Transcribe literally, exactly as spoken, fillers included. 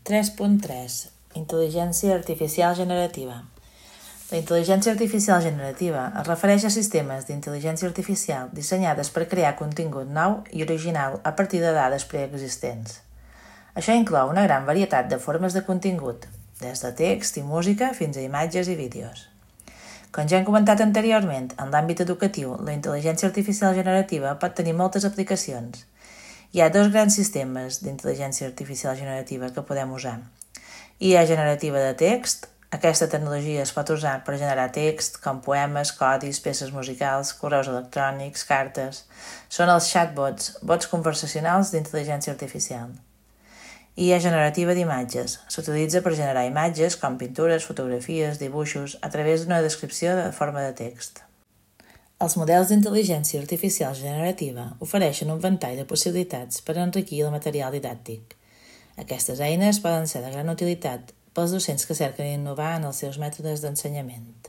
tres punt tres. Intel·ligència artificial generativa. La intel·ligència artificial generativa es refereix a sistemes d'intel·ligència artificial dissenyades per crear contingut nou i original a partir de dades preexistents. Això inclou una gran varietat de formes de contingut, des de text i música fins a imatges i vídeos. Com ja hem comentat anteriorment, en l'àmbit educatiu, la intel·ligència artificial generativa pot tenir moltes aplicacions. Hi ha dos grans sistemes d'intel·ligència artificial generativa que podem usar. I A generativa de text. Aquesta tecnologia es pot usar per generar text, com poemes, codis, peces musicals, correus electrònics, cartes. Són els chatbots, bots conversacionals d'intel·ligència artificial. I A generativa d'imatges. S'utilitza per generar imatges com pintures, fotografies, dibuixos, a través d'una descripció de forma de text. Els models d'intel·ligència artificial generativa ofereixen un ventall de possibilitats per enriquir el material didàctic. Aquestes eines poden ser de gran utilitat pels docents que cerquen innovar en els seus mètodes d'ensenyament.